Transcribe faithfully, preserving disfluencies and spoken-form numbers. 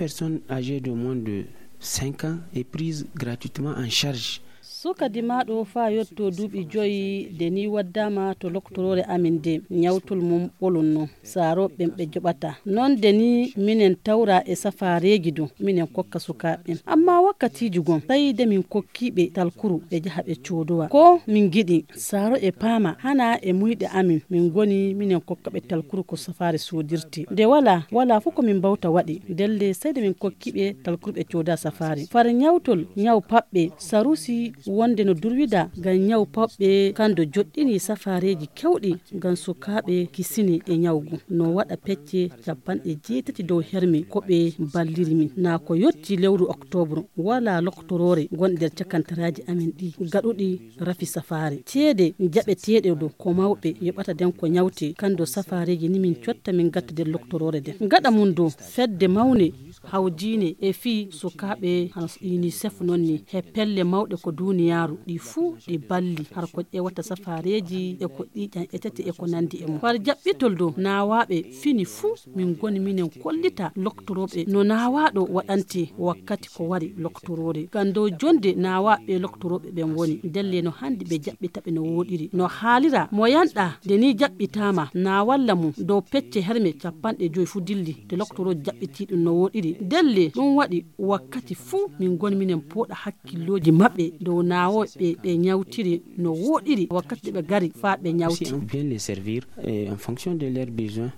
personne âgée de moins de cinq ans est prise gratuitement en charge. Suka dimaaɗo faa yotto duuɓi joyi, de ni waddaama to loktoroore amin de, ñawtol mum ɓolunno. Saarooɓe ɓen ɓe joɓata. Non de ni minen tawra e safaareeji du, minen kokka sukaaɓe ɓen. Amma wakkatiiji gon, tawi de min kokkii ɓe talkuru, ɓe jaha ɓe coodowa. Ko min ngiɗi, saaro e paama, hana e muyɗe amin, min ngoni minen kokka ɓe talkuru ko safaare soodirtee. De walaa, walaa fof ko min mbawta waɗi. Ndelle sey de min kokkii ɓe talkuru ɓe cooda safaare. Far ñawtol, ñaw paɓɓe, sarusi wonde no durwida ngam ñaw paɓɓe kan do joɗɗini safaareeji kewɗi ngam sukaaɓe kisini e ñawgu. No waɗa pecce capanɗe jeetati dow herme ko ɓe balliri min. Naa ko yotti lewru oktoobre, walaa loktoroore wonde nder cakantaraaji amin ɗi gaɗuɗi rafi safaare. Ceede jaɓeteeɗe do ko mawɓe yoɓata den ko ñawte, kan do safaareeji ni min cotta min gatta nder loktoroore den. Gaɗa mum do fedde mawne hawjiine e fii sukaaɓe hano UNICEF non ni, he pelle mawɗe ko duuniyaaru, ɗi fuu ɗi balli, har ko ƴeewata safaareeji e ko ƴiiƴan etete e ko nandi e mum. Far jaɓɓitol dow naawaaɓe fini fuu, min ngoni minen kollita loktorooɓe no naawaaɗo waɗante wakkati ko wari loktoroore. Ngam dow jonde naawaaɓe loktorooɓe ɓen woni, ndelle no handi ɓe jaɓɓita ɓe no wooɗiri. No haalira mo yanɗa, nde ni jaɓɓitaama, naawalla mum dow pecce herme capanɗe joyi fuu dilli, de loktorooji jaɓɓitii ɗum no wooɗiri. Ndelle ɗum waɗi wakkati fuu min ngoni minen pooɗa hakkillooji maɓɓe dow naawooɓe ɓe ñawtiri no wooɗiri wakkati ɓe ngari faa ɓe ñawti. Aussi en bien les servir et en fonction de leurs besoins.